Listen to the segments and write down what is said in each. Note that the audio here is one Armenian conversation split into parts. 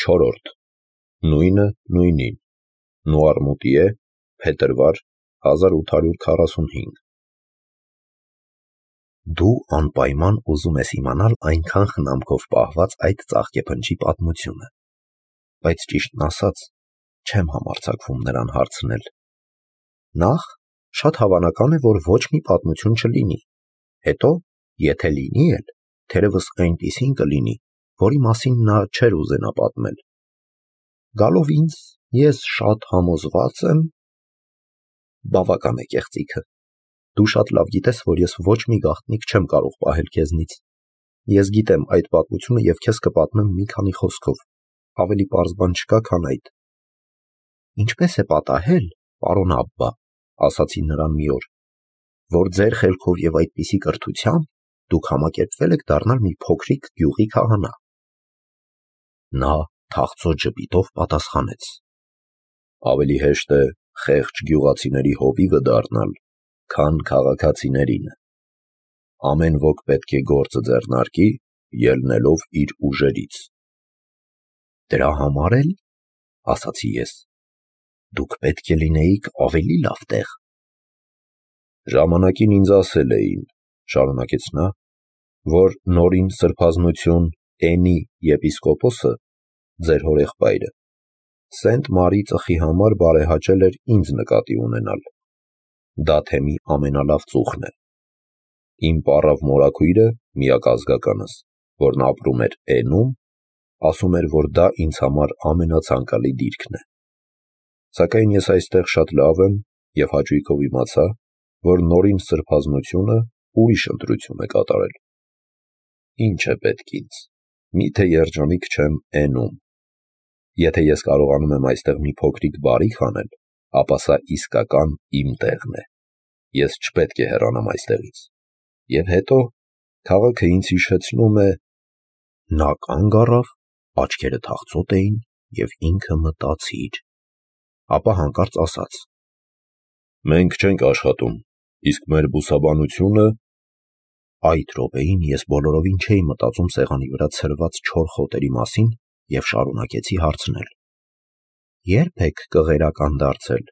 Չորրորդ. Նույնը նույնին, Նուարմուտիե, փետրվար 1845։ Դու անպայման ուզում ես իմանալ այնքան խնամքով պահված այդ ծաղկեփնջի պատմությունը, բայց ճիշտն ասած, չեմ համարձակվում նրան հարցնել։ Նախ, շատ հավանական է, որ ոչ մի պատմություն չլինի, հետո, եթե լինի էլ, թերևս այնպիսին կլինի, որի մասին նա չէր ուզենա պատմել։ Գալով ինձ, ես շատ համոզված եմ… Բավական է կեղծիքը։ Դու շատ լավ գիտես, որ ես ոչ մի գաղտնիք չեմ կարող պահել քեզնից։ Ես գիտեմ այդ պատմությունը և քեզ կպատմեմ մի քանի խոսքով, ավելի պարզ բան չկա, քան այդ։ Ինչպես է պատահել, պարոն Աբբա, ասացի նրան մի օր, որ ձեր խելքով և այդպիսի կրթությամբ դուք համակերպվել եք դառնալ մի փոքրիկ գյուղի քահանա։ Նա թախծոտ ժպիտով պատասխանեց. ավելի հեշտ է խեղճ գյուղացիների հովիվը դառնալ, քան քաղաքացիներինը։ Ամեն ոք պետք է գործը ձեռնարկի, ելնելով իր ուժերից։ Դրա համար էլ, ասացի ես, դուք պետք է լինեիք ավելի լավ տեղ։ Ժամանակին ինձ ասել էին, շարունակեց նա, որ նորին սրբազնություն Էնի եպիսկոպոսը, ձեր հորեղբայրը, Սենտ Մարի ծխի համար բարեհաճել էր ինձ նկատի ունենալ։ Դաթեմի ամենալավ ծուխն է։ Իմ պառավ մորաքույրը, միակազգականս, որն ապրում էր Էնում, ասում էր, որ դա ինձ համար ամենացանկալի դիրքն է։ Սակայն ես այստեղ շատ լավ եմ և հաճույքով իմացա, որ նորին սրբազնությունը ուրիշ ընտրություն է կատարել։ Ինչ է պետք ինձ, միթե երջանիկ չեմ Էնում։ Եթե ես կարողանում եմ այստեղ մի փոքրիկ բարիք անել, ապա սա իսկական իմ տեղն է։ Ես չպետք է հեռանամ այստեղից։ Եվ հետո, քաղաքը ինձ հիշեցնում է… Նա կանգ առավ, աչքերը թախծոտ էին և ինքը մտածիր։ Ապա հանկարծ ասաց. մենք չենք աշխատում, իսկ մեր բուսաբանությունը… Այդ րոպեին ես բոլորովին չէի մտածում սեղանի վրա ցրված չոր խոտերի մասին և շարունակեցի հարցնել. Ե՞րբ եք կղերական դարձել։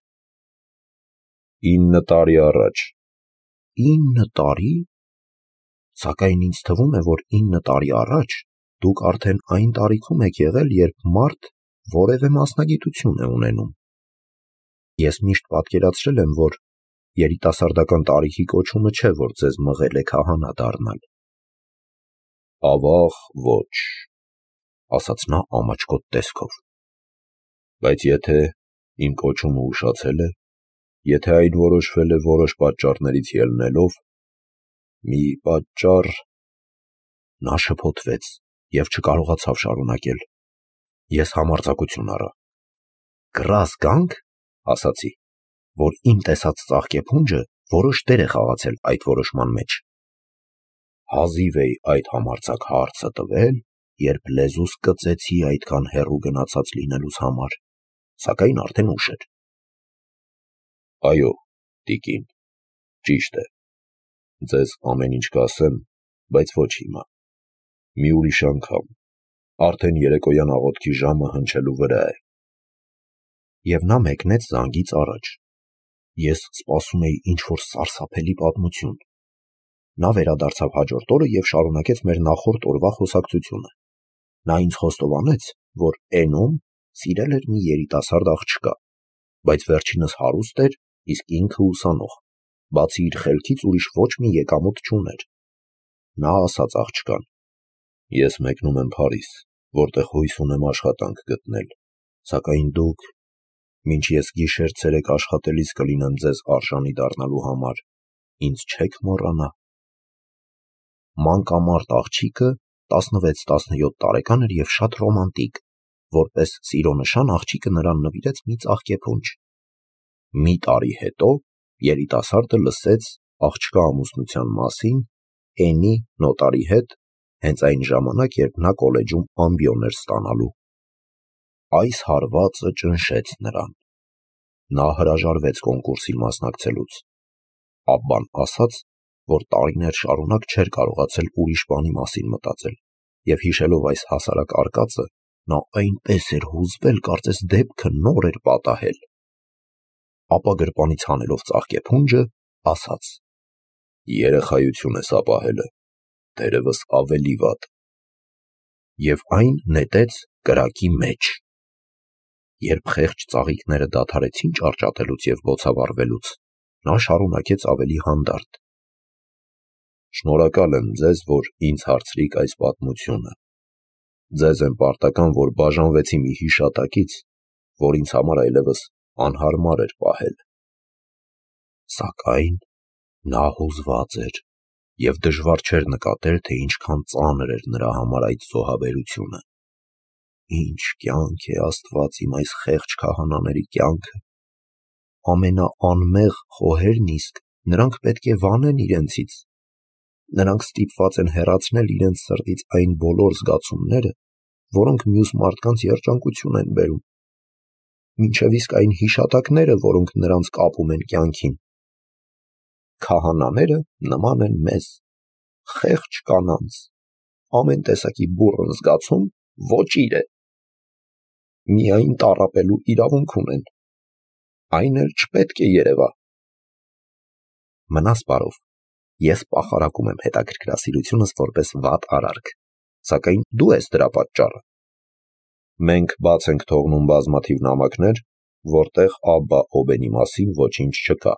9 տարի առաջ։ 9 տարի։ Սակայն ինձ թվում է, որ 9 տարի առաջ դուք արդեն այն տարիքում եք եղել, երբ մարդ որևէ մասնագիտություն է ունենում։ Ես միշտ պատկերացրել եմ, որ երիտասարդական տարիքի կոչումը չէ, որ ձեզ մղել է քահանա դառնալ։ Ավաղ ոչ, ասաց նա ամաչկոտ տեսքով։ Բայց եթե իմ կոչումը ուշացել է, եթե այն որոշվել է որոշ պատճառներից ելնելով, մի պատճառ… Նա շփոթվեց և չկարողացավ շարունակել։ Ես համարձակություն առա. Կռ գանք, ասացի, որ իմ տեսած ծաղկեփունջը որոշ դեր է խաղացել այդ որոշման մեջ։ Հազիվ էի այդ համարձակ հարցը տվել, երբ լեզուս կծեցի այդքան հեռու գնացած լինելուս համար, սակայն արդեն ուշ էր։ Այո, տիկին, ճիշտ է։ Ձեզ ամեն ինչ կասեմ, բայց ոչ հիմա։ Մի ուրիշ անգամ, արդեն երեկոյան աղոթքի ժամը հնչելու վրա է։ Եվ նա մեկնեց զանգից առաջ։ Ես սպասում էի ինչ-որ սարսափելի պատմություն։ Նա վերադարձավ հաջորդ օրը և շարունակեց մեր նախորդ օրվա խոսակցությունը։ Նա ինձ խոստովանեց, որ Էնում սիրել էր մի երիտասարդ աղջկա, բայց վերջինս հարուստ էր, իսկ ինքը ուսանող, բացի իր խելքից ուրիշ ոչ մի եկամուտ չուներ։ Նա ասաց աղջկան. ես մեկնում եմ Փարիզ, որտեղ հույս ունեմ աշխատանք գտնել, սակայն դուք, մինչ ես գիշեր-ցերեկ աշխատելիս կլինեմ ձեզ արժանի դառնալու համար, ինձ չեք մոռանա։ Մանկամարդ աղջիկը 16-17 տարեկան էր և շատ ռոմանտիկ, որպես սիրո նշան աղջիկը նրան նվիրեց մի ծաղկեփունջ։ Մի տարի հետո երիտասարդը լսեց աղջկա ամուսնության մասին Էնի նոտարի հետ, հենց այն ժամանակ, երբ նա կոլեջում ամբիոն էր ստանալու։ Այս հարվածը ճնշեց նրան։ Նա հրաժարվեց կոնկուրսին մասնակցելուց։ Աբբան ասաց, որ տարիներ շարունակ չէր կարողացել ուրիշ բանի մասին մտածել, և հիշելով այս հասարակ արկածը, Նա այնպես էր հուզվել, կարծես դեպքը նոր էր պատահել։ Ապա գրպանից հանելով ծաղկե փունջը, ասաց. «Երեխայություն ես ապահելը, դերևս ավելի վատ»։ Եվ այն նետեց կրակի մեջ։ Երբ խեղճ ծաղիկները դադարեցին ճարճատելուց և բոցավառվելուց, նա շարունակեց ավելի հանդարտ. «Շնորհակալ եմ ձեզ, որ ինձ հարցրիք այս պատմությունը։ Ձեզ եմ պարտական, որ բաժանվեցի մի հիշատակից, որ ինձ համար այլևս անհարմար էր պահել»։ Սակայն նա հուզված էր, և դժվար չէր նկատել, թե ինչքան ծանր էր նրա համար այդ զոհաբերությունը։ Ինչ կյանք է, Աստված իմ, այս խեղճ քահանաների կյանքը։ Ամենաանմեղ խոհերն իսկ, նրանք պետք է վանեն իրենցից։ Նրանք ստիպված են հեռացնել իրենց սրտից այն բոլոր զգացումները, որոնք մյուս մարդկանց երջանկություն են բերում, մինչև իսկ այն հիշատակները, որոնք նրանց կապում են կյանքին։ Քահանաները նման են մեզ, խեղճ կանանց, ամեն տեսակի բուռն զգացում ոճիր է։ Միայն տառապելու իրավունք ունեն, այն էլ չպետք է երևա։ Մնաս բարով, ես պախարակում եմ հետաքրքրասիրությունս որպես վատ արարք, սակայն դու ես դրա պատճառը։ Մենք բաց ենք թողնում բազմաթիվ նամակներ, որտեղ Աբբա Օբենի մասին ոչինչ չկա։